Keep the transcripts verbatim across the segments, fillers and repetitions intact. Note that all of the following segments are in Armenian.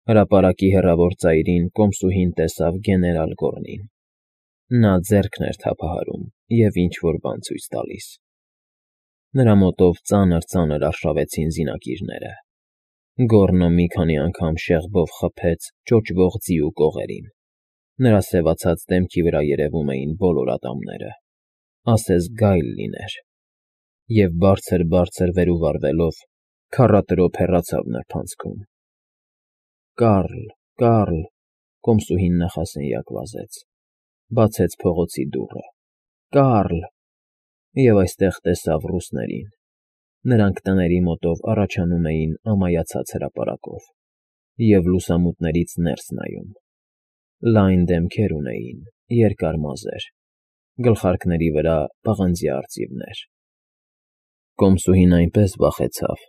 Հրապարակի հեռավոր ծայրին կոմսուհին տեսավ գեներալ Գոռնին. նա ձեռքն էր թափահարում և ինչ֊որ բան ցույց տալիս. նրա մոտով ծանր֊ծանր արշավեցին զինակիրները, Գոռնը մի քանի անգամ շեղբով խփեց ճոճվող ձիու կողերին, նրա սևացած դեմքի վրա երևում էին բոլոր ատամները, ասես գայլ լիներ, և բարձր֊բարձր վեր ու վառվելով, քառատրոփ հեռացավ նրբանցքում։ Կառլ, Կառլ, կոմսուհին նախասենյակ վազեց, բացեց փողոցի դուռը, Կառլ… Եվ այստեղ տեսավ ռուսներին. նրանք տների մոտով առաջանում էին ամայացած հրապարակով և լուսամուտներից ներս նայում. լայն դեմքեր ունեին, երկար մազեր, գլխարկների վրա պղնձյա արծիվներ։ Կոմսուհին այնպես վախեցավ,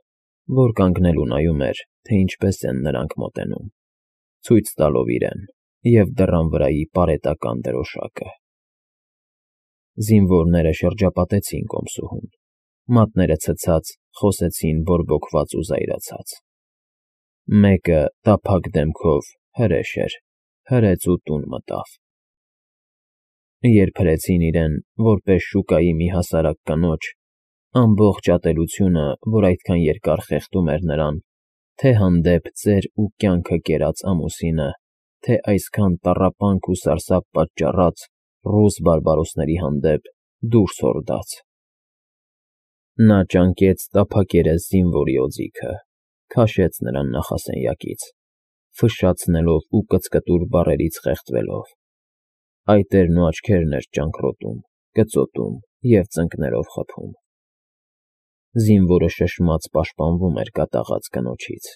որ կանգնել ու նայում էր, թե ինչպես են նրանք մոտենում, ցույց տալով իրեն և դռան վրայի պարետական դրոշակը։ Զինվորները շրջապատեցին կոմսուհուն, մատները ցցած, խոսեցին բորբոքված ու զայրացած։ Մեկը տափակ դեմքով հրեշ էր, հրեց ու տուն մտավ։ Երբ հրեցին իրեն, որպես շուկայի մի հասարակ կնոջ, ամբողջ ատելությունը, որ այդքան երկար խեղդում էր նրան, թե հանդեպ ծեր ու կյանքը կերած ամուսինը, թե այսքան տառապանք ու սարսափ պատճառած ռուս բարբարոսների հանդեպ դուրս հորդաց, նա ճանկեց տափակերես զինվորի օձիքը, քաշեց նրան նախասենյակից, ֆշշացնելով ու կծկտուր բառերից խեղդվելով, այտերն ու աչքերն էր ճանկռոտում, կծոտում և ծնկներով խփում։ Զինվորը շշմած պաշտպանվում էր կատաղած կնոջից,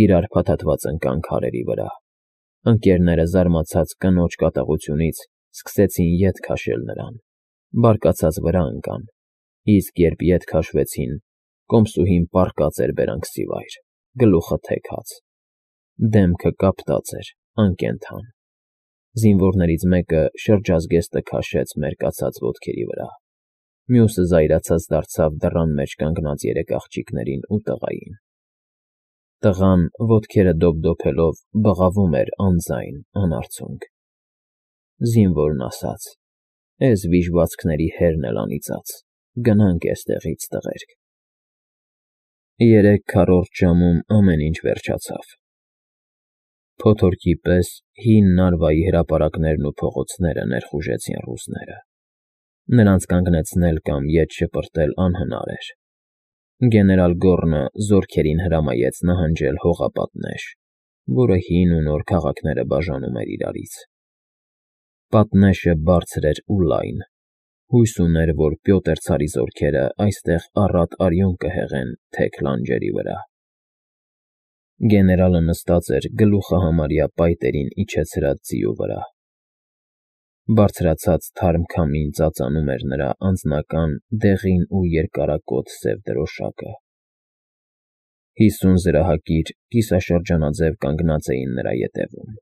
իրար փաթաթված ընկան քարերի վրա, ընկներները զարմացած կնոջ կատաղությունից սկսեցին ետ քաշել նրան, բարկացած վրա ընկան, իսկ երբ ետ քաշվեցին, կոմսուհին պառկած էր բերանքսիվայր, գլուխը թեքած, դեմքը կապտած էր, անկենդան։ Զինվորներից մեկը շրջազգեստը քաշեց մերկացած ոտքերի վրա, մյուսը զայրացած դարձավ դռան մեջ կանգնած երեք աղջիկներին ու տղային։ Տղան, ոտքերը դոփդոփելով, բղավում էր անձայն, անարցունք։ Զինվորն ասաց. «Էս վիժվածքների հերն էլ անիծած, գնանք էստեղից, տղերք»։ Երեք քառորդ ժամում ամեն ինչ վերջացավ։ Փոթորկի պես հին Նարվայի հրապարակներն ու փողոցները ներխուժեցին ռուսները։ Նրանց կանգնեցնել կամ ետ շպրտել անհնար էր։ Գեներալ Գոռնը զորքերին հրամայեց նահանջել հողապատնեշ, որը հին ու նոր քաղաքները բաժանում էր իրարից։ Պատնեշը բարձր էր ու լայն, հույս ուներ, որ Պյոտր ցարի զորքերը այստեղ առատ արյուն կհեղեն թեք լանջերի վրա։ Գեներալը նստած էր գլուխը համարյա պայտերին իջեցրած ձիու վրա։ Բարձրացած թարմ քամին ծածանում էր նրա անձնական դեղին ու երկարակոթ սև դրոշակը։ Հիսուն զրահակիր կիսաշրջանաձև կանգնած էին նրա ետևում,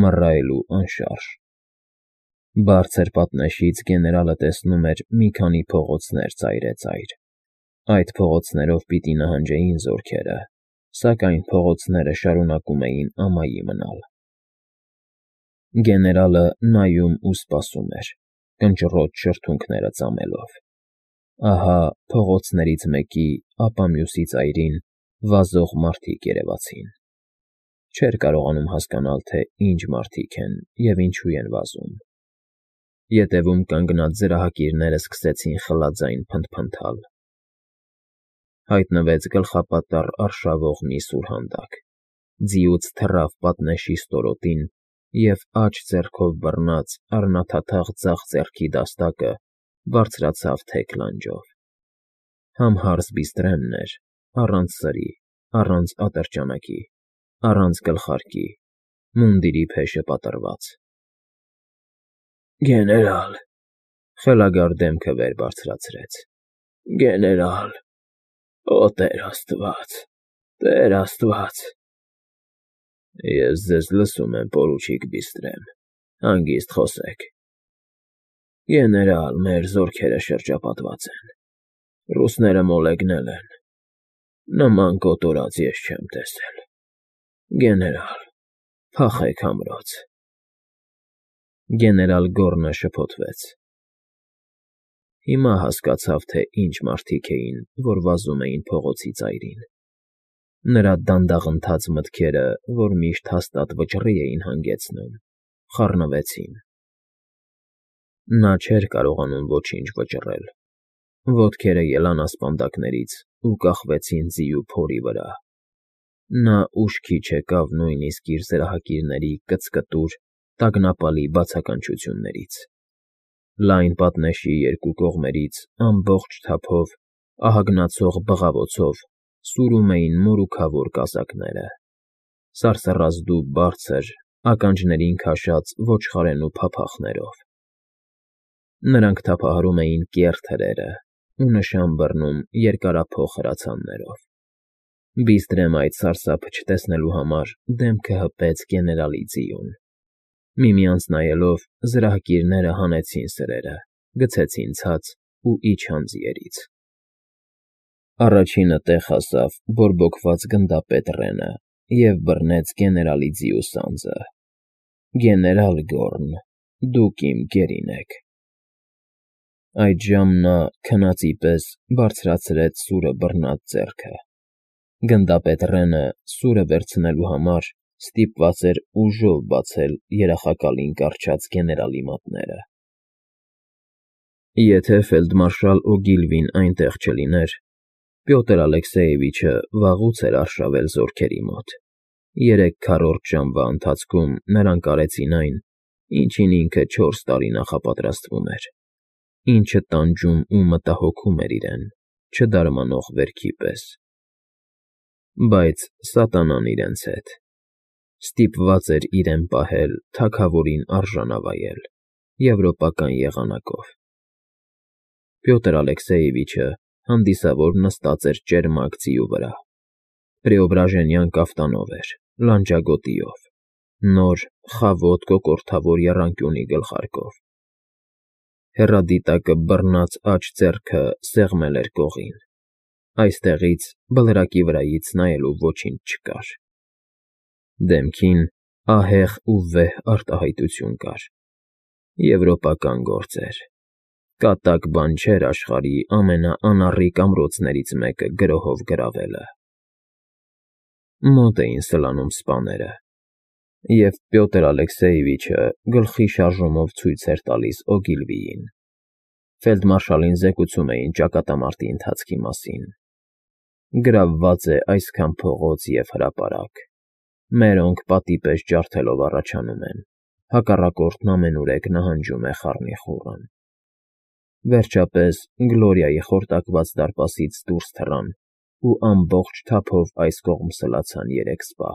մռայլ ու անշարժ։ Բարձր պատնեշից գեներալը տեսնում էր մի քանի փողոցներ ծայրեծայր։ Այդ փողոցներով պիտի նահանջեին զորքերը, սակայն փողոցները շարունակում էին ամայի մնալ։ Գեներալը նայում ու սպասում էր, կնճռոտ շրթունքները ծամելով։ Ահա փողոցներից մեկի, ապա մյուսի ծայրին վազող մարդիկ երևացին։ Չէր կարողանում հասկանալ, թե ինչ մարդիկ են և ինչու են վազում։ Ետևում կանգնած զրահակիրները սկսեցին խլաձայն փնթփնթալ։ Հայտնվեց գլխապատառ արշավող մի սուրհանդակ, ձիուց թռավ պատնեշի ստորոտին և աջ ձեռքով բռնած առնաթաթախ ձախ ձեռքի դաստակը բարձրացավ թեք լանջով։ Համհարս Բիստրեմն էր, առանց սրի, առանց ատրճանակի, առանց գլխարկի, մունդիրի փեշը պատռված։ Գեներալ… Խելագար դեմքը վեր բարձրացրեց։ Գեներալ… Օ Տեր Աստված… Տեր Աստված… Ես ձեզ լսում եմ, պորուչիկ Բիստրեմ, հանգիստ խոսեք։ Գեներալ, մեր զորքերը շրջապատված են, ռուսները մոլեգնել են, նման կոտորած ես չեմ տեսել։ Գեներալ, փախեք ամրոց։ Գեներալ Գոռնը շփոթվեց։ Հիմա հասկացավ, թե ինչ մարդիկ էին, որ վազում էին փողոցի ծայրին։ Նրա դանդաղընթաց մտքերը, որ միշտ հաստատ վճռի էին հանգեցնում, խառնվեցին։ Նա չէր կարողանում ոչինչ վճռել։ Ոտքերը ելան ասպանդակներից ու կախվեցին ձիու փորի վրա։ Նա ուշքի չեկավ նույնիսկ իր զրահակիրների կծկտուր, տագնապալի բացականչություններից։ Լայն պատնեշի երկու կողմերից ամբողջ թափով, ահագնացող բղավոցով սուրում էին մորուքավոր կազակները, սարսռազդու բարձր, ականջներին քաշած ոչխարենու փափախներով։ Նրանք թափահարում էին կեռ թրերը ու նշան բռնում երկարափոխ հրացաններով։ Բիստրեմ այդ սարսափը չտեսնելու համար դեմքը հպեց գեներալի ձիուն։ Միմյանց նայելով՝ զրահակիրները հանեցին սրերը, գցեցին ցած ու իջան ձիերից։ Առաջինը տեղ հասավ բորբոքված գնդապետ Ռենը և բռնեց գեներալի ձիու սանձը։ Գեներալ Գոռն, դուք իմ գերին եք։ Այդժամ նա քնածի պես բարձրացրեց սուրը բռնած ձեռքը։ Գնդապետ Ռենը, սուրը վերցնելու համար, ստիպված էր ուժով բացել երախակալին կառչած գեներալի մատները։ Եթե ֆելդմարշալ Օգիլվին այնտեղ չլիներ, Պյոտր Ալեքսեևիչը վաղուց էր արշավել զորքերի մոտ։ Երեք քառորդ ժամվա ընթացքում նրանք արեցին այն, ինչին ինքը չորս տարի նախապատրաստվում էր, ինչը տանջում ու մտահոգում էր իրեն, չդարմանող վերքի պես։ Բայց սատանան իրենց հետ։ Ստիպված էր իրեն պահել թագավորին արժանավայել եվրոպական եղանակով։ Պյոտր Ալեքսեևիչը հանդիսավոր նստած էր ճերմակ ձիու վրա, պրեոբրաժենյան կաֆտանով էր, լանջագոտիով, նոր, խավոտ կոկորդավոր եռանկյունի գլխարկով։ Հեռադիտակը բռնած աջ ձեռքը սեղմել էր կողին։ Այստեղից, բլրակի վրայից նայելու ոչինչ չկար։ Դեմքին ահեղ ու վեհ արտահայտություն կար։ Եվրոպական գործ էր։ Կատակ բան չէր աշխարհի ամենաանառիկ ամրոցներից մեկը գրոհով գրավելը։ Մոտ էին սլանում սպաները, և Պյոտր Ալեքսեևիչը գլխի շարժումով ցույց էր տալիս Օգիլվիին։ Ֆելդմարշալին զեկուցում էին ճակատամարտի ընթացքի մասին։ Գրավված է այսքան փողոց և հրապարակ։ Մերոնք պատի պես ջարդելով առաջանում են, հակառակորդն ամենուրեք նահանջում է խառնիխուռն։ Վերջապես Գլորիայի խորտակված դարպասից դուրս թռան ու ամբողջ թափով այս կողմ սլացան երեք սպա։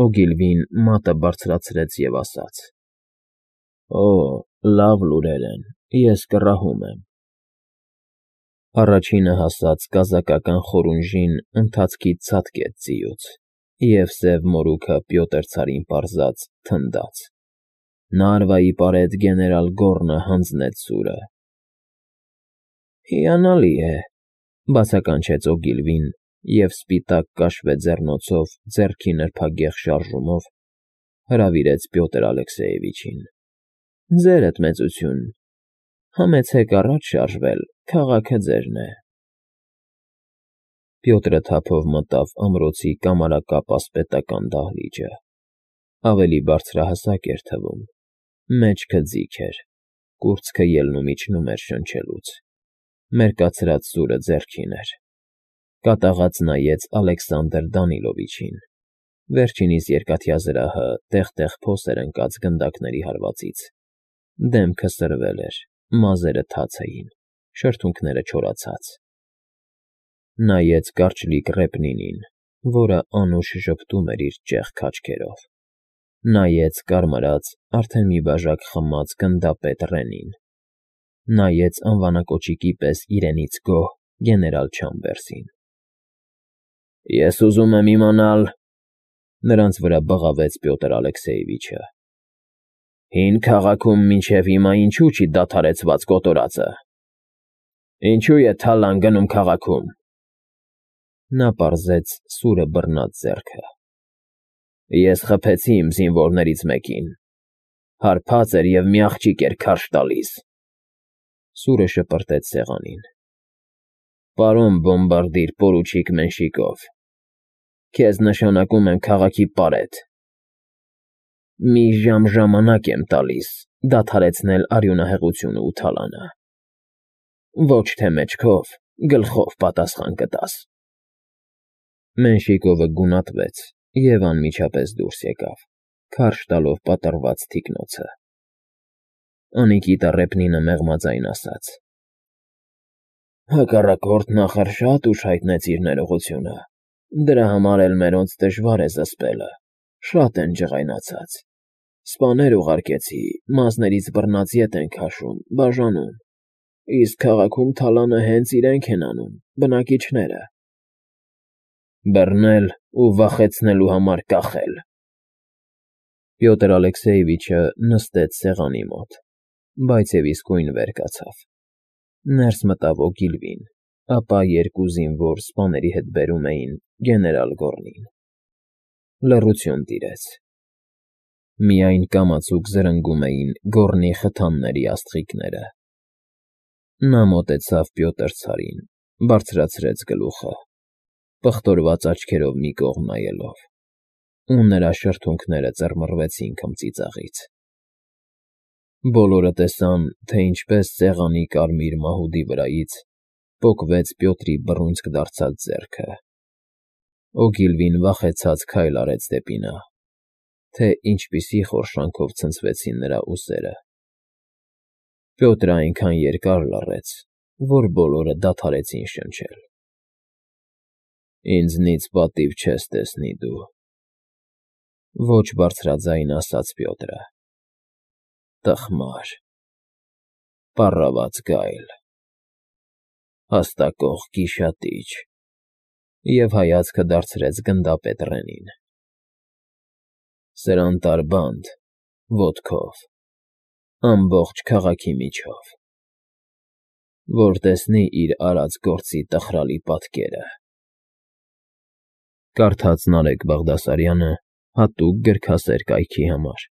Օգիլվին մատը բարձրացրեց և ասաց. «Օ, լավ լուրեր են, ես կռահում եմ»։ Առաջինը հասած կազակական խորունժին ընթացքից ցատկեց ձիուց, և սև մորուքը Պյոտր ցարին պարզած թնդաց։ Նարվայի պարետ գեներալ Գոռնը հանձնեց սուրը։ «Հիանալի է», բացականչեց Օգիլվին և սպիտակ կաշվե ձեռնոցով ձեռքի նրբագեղ շարժումով հրավիրեց Պյոտր Ալեքսեևիչին։ «Ձերդ մեծություն, համեցեք առաջ շարժվել, քաղաքը ձերն է»։ Պյոտրը թափով մտավ ամրոցի կամարակապ ասպետական դահլիճը։ Ավելի բարձրահասակ էր թվում, մեջքը ձիգ էր, կուրծքը ելնումիջնում էր շնչելուց։ Մերկացրած սուրը ձեռքին էր։ Կատաղած նայեց Ալեքսանդր Դանիլովիչին։ Վերջինիս երկաթյա զրահը տեղ֊տեղ փոս էր ընկած գնդակների հարվածից։ Դեմքը սրվել էր, մազերը թաց էին, շրթունքները չորացած։ Նայեց կարճլիկ Ռեպնինին, որը անուշ ժպտում էր իր ճեղք քաջերով։ Նայեց կարմրած, արդեն մի բաժակ խմած գնդապետ Ռենին։ Նայեց անվանակոճիկի պես իրենից գոհ գեներալ Չամբերսին։ «Ես ուզում եմ իմանալ,֊ նրանց վրա բղավեց Պյոտր Ալեքսեևիչը,֊ հին քաղաքում մինչև հիմա ինչու չի դադարեցված կոտորածը։ Ինչո՞ւ է Թալան գնում քաղաքում»։ Նա պարզեց սուրը բռնած ձեռքը։ Ես խփեցի իմ զինվորներից մեկին, հարբած էր և մի աղջիկ էր քարշ տալիս, սուրը շպրտեց սեղանին, պարոն բոմբարդիր պորուչիկ Մենշիկով, քեզ նշանակում եմ քաղաքի պարետ, մի ժամ ժամանակ եմ տալիս դադարեցնել արյունահեղությունը ու թալանը, ոչ թե մեջքով, գլխով պատասխան կտաս։ Մենշիկովը գունատվեց և անմիջապես դուրս եկավ, քարշ տալով պատռված թիկնոցը։ Անիկի տառեփնինը մեղմաձայն ասաց. Հակառակորդն ախր շատ ուշ հայտնեց իր ներողությունը, դրա համար էլ մերոնց դժվար է զսպելը, շատ են ջղայնացած, սպաներ ուղարկեցի, մազներից բռնած ետ են քաշում, բաժանում, իսկ քաղաքում թալանը հենց իրենք են անում, բնակիչները։ Բռնել ու վախեցնելու համար կախել։ Պյոտր Ալեքսեյևիչը նստեց սեղանի մոտ, բայց և իսկույն վեր կացավ, ներս մտավ Օգիլվին, ապա երկու զինվոր սպաների հետ բերում էին գեներալ Գոռնին։ Լռություն տիրեց։ Միայն կամացուկ զրնգում էին Գոռնի խթանների աստղիկները։ Նա մոտեցավ Պյոտր ցարին, բարձրացրեց գլուխը, պղտորված աչքերով մի կողմ նայելով, ու նրա շրթունքները ծռմռվեցին քմծիծաղից։ Բոլորը տեսան, թե ինչպես սեղանի կարմիր մահուդի վրայից պոկվեց Պյոտրի բռունցք դարձած ձեռքը։ Օգիլվին վախեցած քայլ արեց դեպի նա, թե ինչպիսի խորշանքով ցնցվեցին նրա ուսերը։ Պյոտրը այնքան երկար լռեց, որ բոլորը դադարեցին շնչել։ Ինձնից պատիվ չես տեսնի դու, ոչ բարձրաձայն ասաց Պյոտրը, տխմար, պառավաց գայլ, հաստակող գիշատիչ, և հայացքը դարձրեց գնդապետ Ռենին, սրանտար բանդ, ոտքով, ամբողջ քաղաքի միջով, որ տեսնի իր արած գործի տխրալի պատկերը։ Կարդաց Նարեկ Բաղդասարյանը հատուկ գրքասեր կայքի համար։